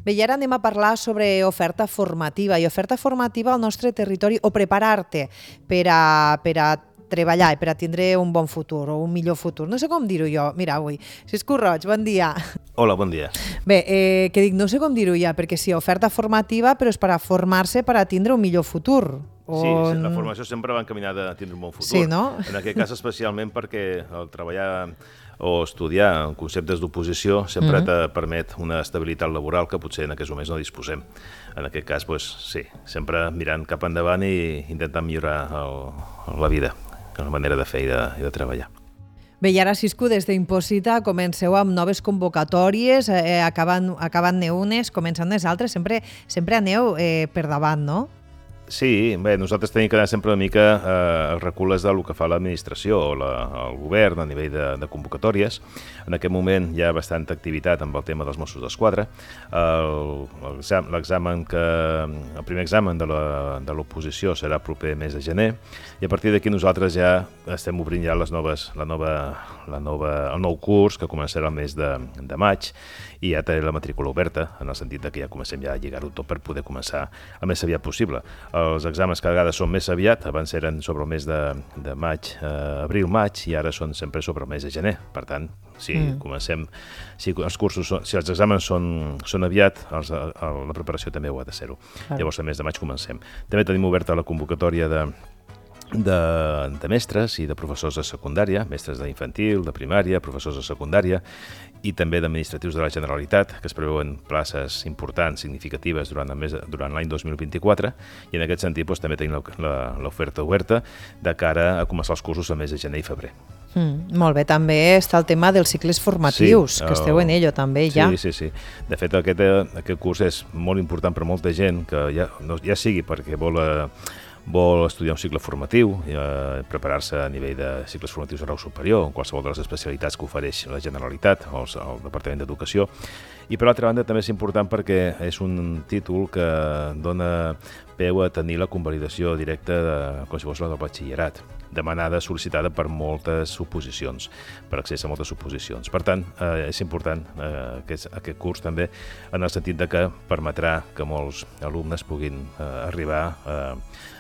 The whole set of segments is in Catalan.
Bé, i ara anem a parlar sobre oferta formativa. I oferta formativa al nostre territori, o preparar-te per a treballar i per a tindre un bon futur o un millor futur. No sé com dir-ho jo. Mira, avui, Cisco Roig, bon dia. Hola, bon dia. Bé, que dic, no sé com dir-ho ja, perquè sí, oferta formativa, però és per a formar-se per a tindre un millor futur. Sí, la formació sempre va encaminada a tindre un bon futur. Sí, no? En aquest cas especialment perquè el treballar o estudiar en conceptes d'oposició sempre te permet una estabilitat laboral que potser en aquests moments no disposem. En aquest cas, doncs, sí, sempre mirant cap endavant i intentant millorar la vida, la manera de fer i de treballar. Bé, i ara, Cisco, des d'Imposita comenceu amb noves convocatòries, acaben-ne unes, començant les altres, sempre aneu per davant, no? Sí, bé, nosaltres tenim que anar sempre una mica a recules del que fa l'administració o el govern a nivell de convocatòries. En aquest moment hi ha bastanta activitat amb el tema dels Mossos d'Esquadra. El primer examen de l'oposició serà proper mes de gener i a partir d'aquí nosaltres ja estem obrint ja el nou curs que començarà el mes de maig i ja té la matrícula oberta, en el sentit que ja comencem ja a lligar-ho tot per poder començar el més aviat possible. Els exàmens cada vegada són més aviat, abans eren sobre el mes de maig, abril-maig, i ara són sempre sobre el mes de gener. Per tant, si comencem, si els exàmens són aviat, la preparació també ho ha de ser-ho. Llavors, el mes de maig comencem. També tenim oberta la convocatòria de mestres i de professors de secundària, mestres d'infantil, de primària, professors de secundària i també d'administratius de la Generalitat, que es preveuen places importants, significatives durant l'any 2024, i en aquest sentit també tenim l'oferta oberta de cara a començar els cursos al mes de gener i febrer. Molt bé, també està el tema dels cicles formatius, que esteu en ello també ja. Sí. De fet, aquest curs és molt important per molta gent, que ja sigui perquè vol estudiar un cicle formatiu, preparar-se a nivell de cicles formatius de grau superior, en qualsevol de les especialitats que ofereix la Generalitat o el Departament d'Educació. I per l'altra banda també és important perquè és un títol que dona peu a tenir la convalidació directa com si fos la del batxillerat, demanada, sol·licitada per moltes oposicions, per accés a moltes oposicions. Per tant, és important aquest curs també en el sentit que permetrà que molts alumnes puguin arribar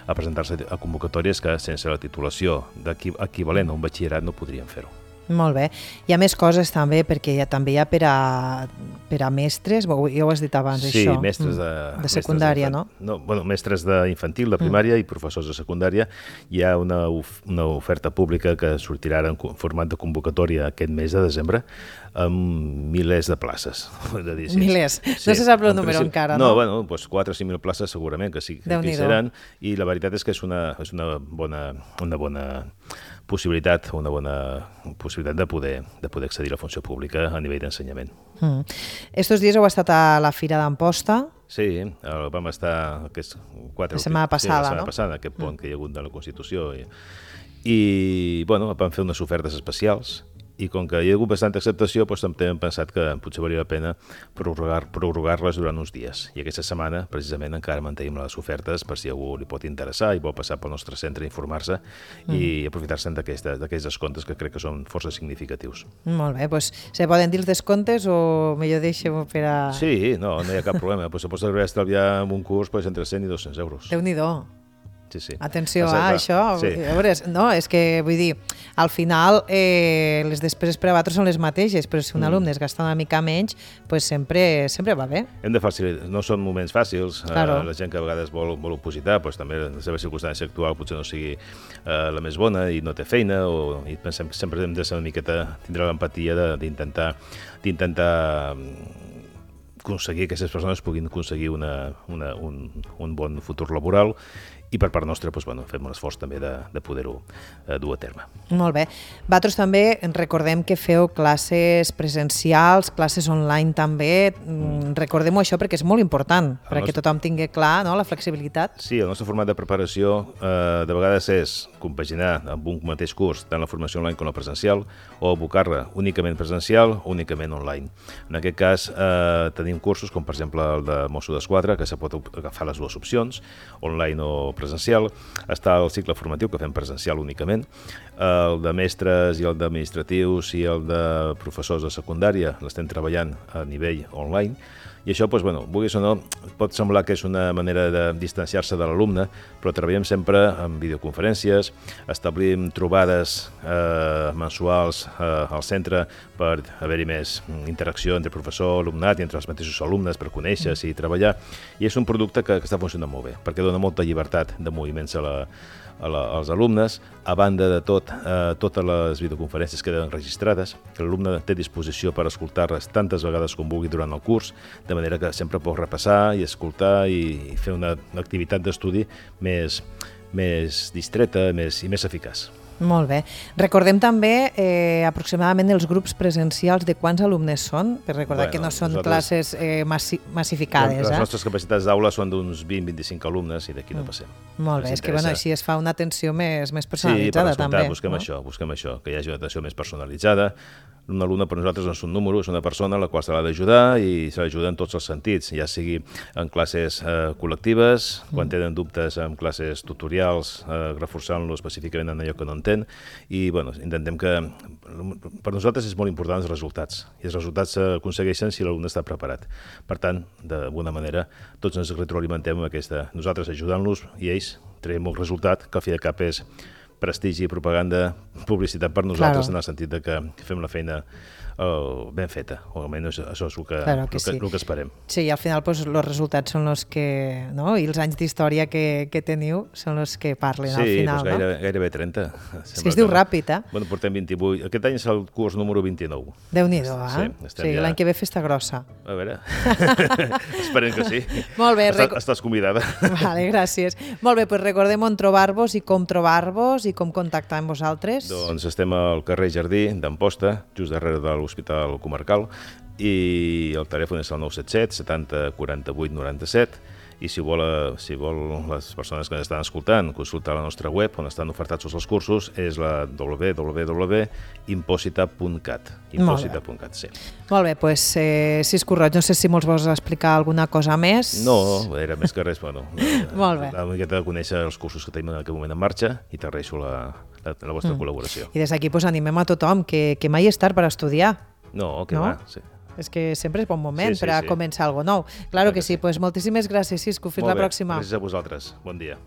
a presentar-se a convocatòries que sense la titulació equivalent a un batxillerat no podrien fer-ho. Molt bé. Hi ha més coses també, perquè també hi ha per a mestres, ja ho has dit abans, sí, això. Sí, mestres de secundària, no? Mestres d'infantil, de primària i professors de secundària. Hi ha una oferta pública que sortirà en format de convocatòria aquest mes de desembre amb milers de places. Milers? No se sap el número encara, no? No, doncs 4 o 5.000 places segurament que sí que hi seran, i la veritat és que és una bona possibilitat de poder accedir a la funció pública a nivell d'ensenyament. Estos dies heu estat a la Fira d'Amposta? Sí, vam estar la setmana passada, no? Aquest pont que hi ha hagut de la Constitució. I vam fer unes ofertes especials, i com que hi ha hagut bastanta acceptació, també hem pensat que potser valia la pena prorrogar-les durant uns dies. I aquesta setmana, precisament, encara mantenim les ofertes per si algú li pot interessar i vol passar pel nostre centre a informar-se i aprofitar-se d'aquests descomptes que crec que són força significatius. Molt bé, doncs se poden dir els descomptes o millor deixem per a... Sí, no hi ha cap problema. Se pot estalviar en un curs entre 100 i 200 euros. Déu-n'hi-do. Sí. Atenció a això. Sí. No, és que vull dir, al final les despeses per a vosaltres són les mateixes, però si un alumne es gasta una mica menys, doncs sempre va bé. Hem de facilitar, no són moments fàcils, claro. La gent que a vegades vol opositar, doncs també la seva circumstància actual potser no sigui la més bona i no té feina, i pensem que sempre hem de ser una miqueta, tindre l'empatia d'intentar aconseguir que aquestes persones puguin aconseguir un bon futur laboral, i per part nostra fem un esforç també de poder-ho dur a terme. Molt bé. Vosaltres també recordem que feu classes presencials, classes online també. Recordem-ho això perquè és molt important, perquè tothom tingui clar la flexibilitat. Sí, el nostre format de preparació de vegades és compaginar amb un mateix curs tant la formació online com la presencial, o abocar-la únicament presencial o únicament online. En aquest cas tenim cursos com per exemple el de Mossos d'Esquadra, que se pot agafar les dues opcions, online o el presencial, està el cicle formatiu que fem presencial únicament, el de mestres i el d'administratius i el de professors de secundària l'estem treballant a nivell online, i això, doncs, bueno, vulguis o no, pot semblar que és una manera de distanciar-se de l'alumne, però treballem sempre en videoconferències, establim trobades mensuals al centre per haver-hi més interacció entre professor, alumnat i entre els mateixos alumnes per conèixer-se i treballar, i és un producte que està funcionant molt bé, perquè dona molta llibertat de moviments als alumnes. A banda de tot, totes les videoconferències queden registrades, que l'alumne té disposició per escoltar-les tantes vegades com vulgui durant el curs, de manera que sempre pot repassar i escoltar i fer una activitat d'estudi més distreta i més eficaç. Molt bé. Recordem també aproximadament els grups presencials de quants alumnes són, per recordar que no són classes massificades. Les nostres capacitats d'aula són d'uns 20-25 alumnes i d'aquí no passem. Molt bé, és que així es fa una atenció més personalitzada també. Sí, busquem això, que hi hagi una atenció més personalitzada. Un alumne per nosaltres no és un número, és una persona a la qual se l'ha d'ajudar i se l'ajuda en tots els sentits, ja sigui en classes col·lectives, quan tenen dubtes en classes tutorials, reforçant-lo específicament en allò que no entén, i intentem que per nosaltres és molt important els resultats, i els resultats s'aconsegueixen si l'alumne està preparat. Per tant, d'alguna manera, tots ens retroalimentem amb aquesta, nosaltres ajudant-los i ells traiem un resultat que al fi de cap és prestigi, propaganda, publicitat per nosaltres, en el sentit que fem la feina ben feta, o almenys això és el que esperem. Sí, i al final els resultats són els que, i els anys d'història que teniu són els que parlen al final. Sí, gairebé 30. És que es diu ràpid, eh? Bueno, portem 28. Aquest any és el curs número 29. Déu-n'hi-do, eh? Sí, l'any que ve festa grossa. A veure, esperem que sí. Molt bé. Estàs convidada. Vale, gràcies. Molt bé, doncs recordem on trobar-vos i com trobar-vos i com contactar amb vosaltres. Doncs estem al carrer Jardí d'Amposta, just darrere de l'Hospital Comarcal, i el telèfon és el 977 70 48 97, i si vol les persones que ens estan escoltant consultar la nostra web on estan ofertats tots els cursos, és la www.imposita.cat. Imposita.cat, sí. Molt bé, doncs Cisco Roig, no sé si vols explicar alguna cosa més. No, era més que res, Molt bé. Una miqueta de conèixer els cursos que tenim en aquest moment en marxa, i t'agraeixo la vostra col·laboració. I des d'aquí animem a tothom que mai és tard per estudiar. No, que va, sí. És que sempre és bon moment per a començar alguna cosa nou. Claro que sí, doncs moltíssimes gràcies, Cisco. Fins la pròxima. Gràcies a vosaltres. Bon dia.